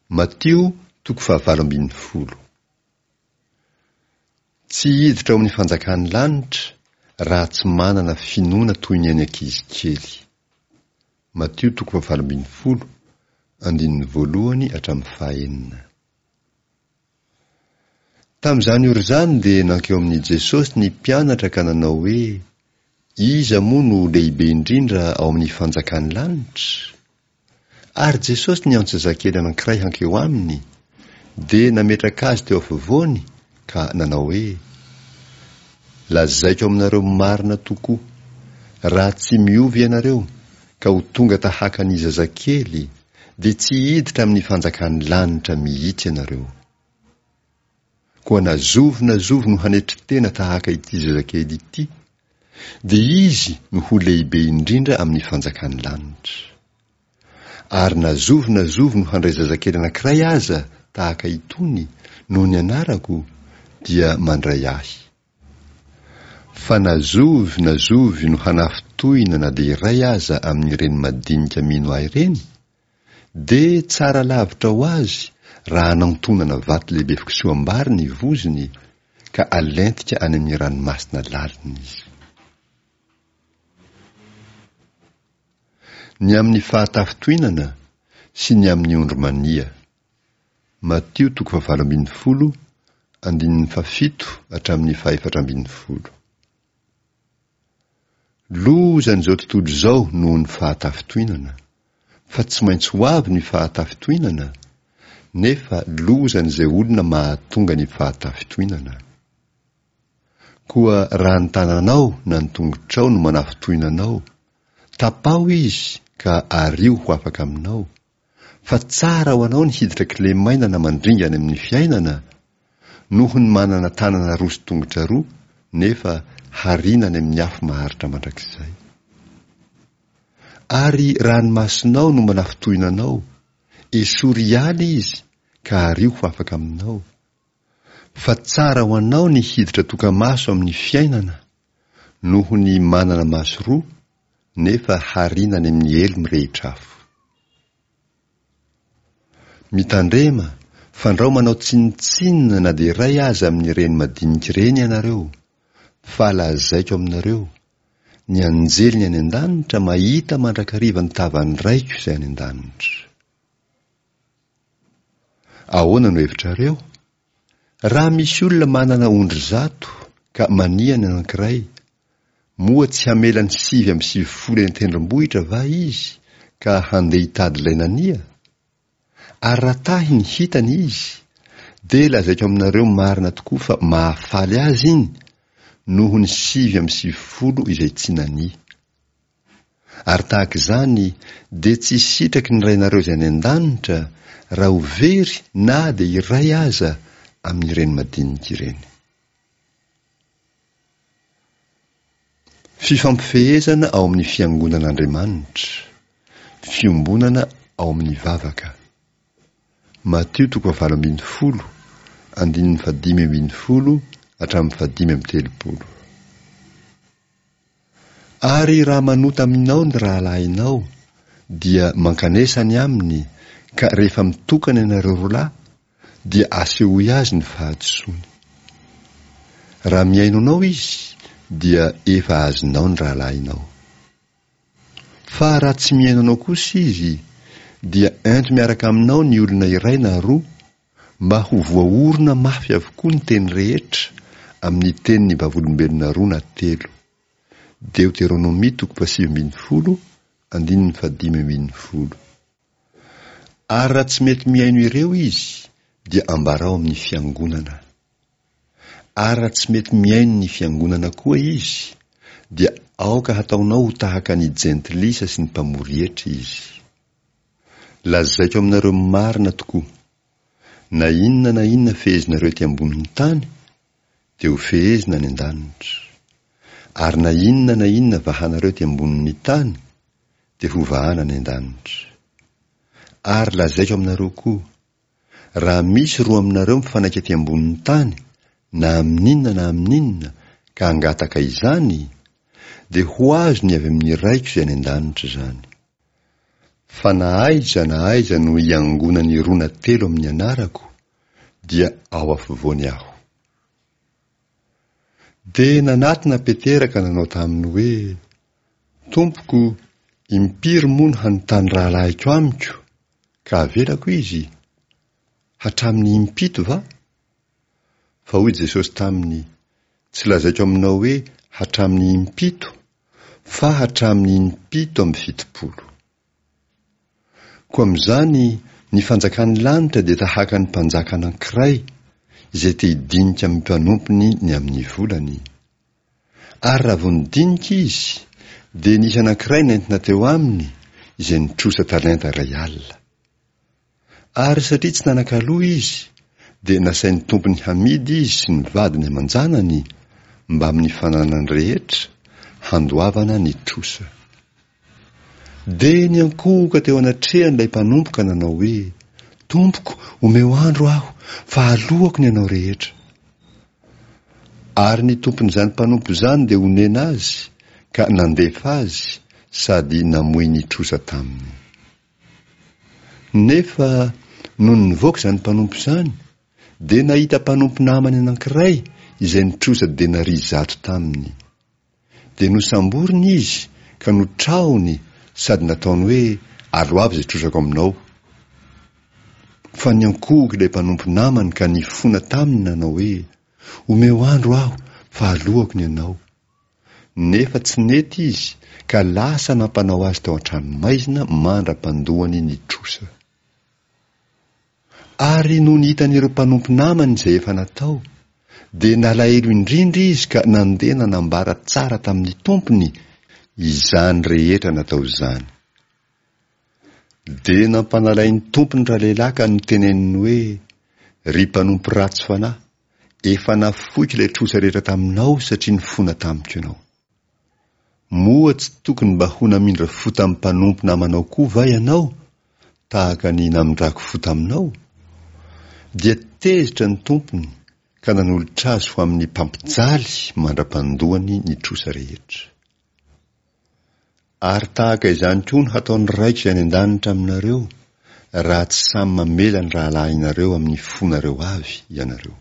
Matio toko fahavalo ambin'ny folo. Tsy hiditra ao amin'ny fanjakan'ny lanitra raha tsy manana finoana toy ny an'ny ankizy kely. Matio toko fahavalo ambin'ny folo, andininy voalohany hatramin'ny fahenina. Tamin'izany ora izany dia nankeo amin'i Jesosy ny mpianatra ka nanao hoe, Iza moa no lehibe indrindra ao amin'ny fanjakan'ny lanitra? Ary Jesosy niantso zazakely anankiray hankeo aminy, dia nametraka azy teo afovoany ka nanao hoe, Lazaiko aminareo marina tokoa, raha tsy miova ianareo ka ho tonga tahaka ny zazakely, dia tsy hiditra amin'ny fanjakan'ny lanitra mihitsy ianareo. Koa na zovy na zovy no hanetry tena tahaka ity zazakely ity, dia izy no ho lehibe indrindra amin'ny fanjakan'ny lanitra. Ary na zovy na zovy no handray zazakely anankiray aza tahaka itony noho ny anarako, dia mandray ahy. Fa na zovy na zovy no hanafintohina na dia iray aza amin'ireny madinika mino ahy ireny, dia tsara lavitra ho azy raha anantonana vato lehibe fikisoham-bary ny vozony ka alentika any amin'ny ranomasina lalina izy. Ny amin'ny fahatafintohinana sy ny amin'ny ondry mania. Matio toko fahavalo ambin'ny folo, andininy fahafito hatramin'ny fahefatra ambin'ny folo. Lozan'izao tontolo izao noho ny fahatafintohinana, fa tsy maintsy ho avy ny fahatafintohinana, nefa lozan'izay olona mahatonga ny fahatafintohinana. Koa raha ny tananao na ny tongotrao no manafintohina anao, tapaho izy ka ario ho afaka aminao, fa tsara ho anao ny hiditra kilemaina na mandringa any amin'ny fiainana, noho ny manana tanana roa sy tongotra roa nefa hariana any amin'ny afo maharitra mandrakizay. Ary raha ny masonao no manafintohina anao, esory hiala izy ka ario ho afaka aminao, fa tsara ho anao ny hiditra toka-maso amin'ny fiainana, noho ny manana maso roa nefa hariana any amin'ny helo mirehitra afo. Mitandrema, fandrao manao tsinontsinona na dia iray aza amin'ireny madinika ireny ianareo, fa lazaiko aminareo, ny anjeliny any an-danitra mahita mandrakariva ny tavan'ny Raiko izay any an-danitra. Ahoana no hevitrareo? Raha misy olona manana ondry zato ka mania ny anankiray, moa tsy hamela ny 99 eny an-tendrombohitra va izy ka handeha hitady ilay nania? Ary raha tahy ny hitany izy, dia lazaiko aminareo marina tokoa fa mahafaly azy iny noho ny 99 izay tsy nania. Ary tahaka izany dia tsy sitraky ny Rainareo izay any an-danitra raha ho very na dia iray aza amin'ireny madinika ireny. Fifampifehezana ao amin'ny Fiangonan'Andriamanitra, Fiombonana ao amin'ny vavaka. Matio toko fahavalo ambin'ny folo, andininy fahadimy ambin'ny folo hatramin'ny fahadimy amby telopolo. Ary raha manota aminao ny rahalahinao, dia mankanesa any aminy, ka rehefa mitokana ianareo roa lahy, dia asehoy azy ny fahadisoany. Raha mihaino anao izy, dia efa azonao ny rahalahinao. Fa raha tsy mihaino anao kosa izy, dia ento miaraka aminao ny olona iray na roa, mba ho voaorina mafy avokoa ny teny rehetra amin'ny tenin'ny vavolombelona roa na telo. Deoteronomia toko fahasivy ambin'ny folo, andininy fahadimy ambin'ny folo. Ary raha tsy mety mihaino ireo izy, dia ambarao amin'ny fiangonana. Ary raha tsy mety mihaino ny fiangonana koa izy, dia aoka hataonao ho tahaka ny jentilisa sy ny mpamory hetra izy. Lazaiko aminareo marina tokoa, na inona na inona fehezinareo ety ambonin'ny tany, dia ho fehezina any an-danitra. Ary na inona na inona vahanareo ety ambonin'ny tany, dia ho vahana any an-danitra. Ary lazaiko aminareo koa, raha misy roa aminareo mifanaiky ety ambonin'ny tany, na amin'inona na amin'inona, ka hangataka izany, dia ho azony avy amin'ny Raiko izay any an-danitra izany. Fa na aiza na aiza no iangonan'ny roa na telo amin'ny anarako, dia ao afovoany Aho. Dia nanatona Petera ka nanao taminy hoe, Tompoko, impiry moa no hanontany rahalahiko amiko, ka havelako izy? Hatramin'ny impito va? Fa hoy Jesosy taminy, Tsy lazaiko aminao hoe hatramin'ny impito, fa hatramin'ny impito amby 70. Koa amin'izany, ny fanjakan'ny lanitra dia tahaka ny mpanjaka anankiray izay te hidinika amin'ny mpanompony ny amin'ny volany. Ary raha vao nidinika izy, dia nisy anankiray nentina teo aminy izay nitrosa talenta 1000. Ary satria tsy nanan-kaloa izy, dia nasain'ny tompony hamidy izy sy ny vadiny aman-janany mbamin'ny fananany rehetra, handoavana ny trosa. Dia niankohoka teo anatrehany ilay mpanompo ka nanao hoe, Tompoko, omeo andro aho, fa aloako ny anao rehetra. Ary ny tompon'izany mpanompo izany dia onena azy, ka nandefa azy sady namoy ny trosa taminy. Nefa nony nivoaka izany mpanompo izany, dia nahita mpanompo namany anankiray izay nitrosa denaria 100 taminy. Dia nosamboriny izy ka notrahony sady nataony hoe, Aloavy izay trosako aminao. Fa niankohoka ilay mpanompo namany ka nifona taminy nanao hoe, Omeo andro aho fa aloako ny anao. Nefa tsy nety izy ka lasa nampanao azy tao an-tranomaizina mandra-pandoany ny trosa. Ary nony hitan'ireo mpanompo namany izay efa natao, dia nalahelo indrindra izy ka nandeha nanambara tsara tamin'ny tompony izany rehetra natao izany. Dia nampanalain'ny tompony ralehilahy ka noteneniny hoe, Ry mpanompo ratsy fanahy, Efa nafoiko ilay trosa rehetra taminao satria nifona tamiko ianao. Moa tsy tokony mba ho namindra fo tamin'ny mpanompo namanao koa va ianao, tahaka ny namindrako fo taminao? Dia tezitra ny tompony ka nanolotra azy ho amin'ny mpampijaly mandra-pandoany ny trosa rehetra. Ary tahaka izany koa no hataon'ny Raiko izay any an-danitra aminareo, raha tsy samy mamela ny rahalahinareo amin'ny fonareo avy ianareo.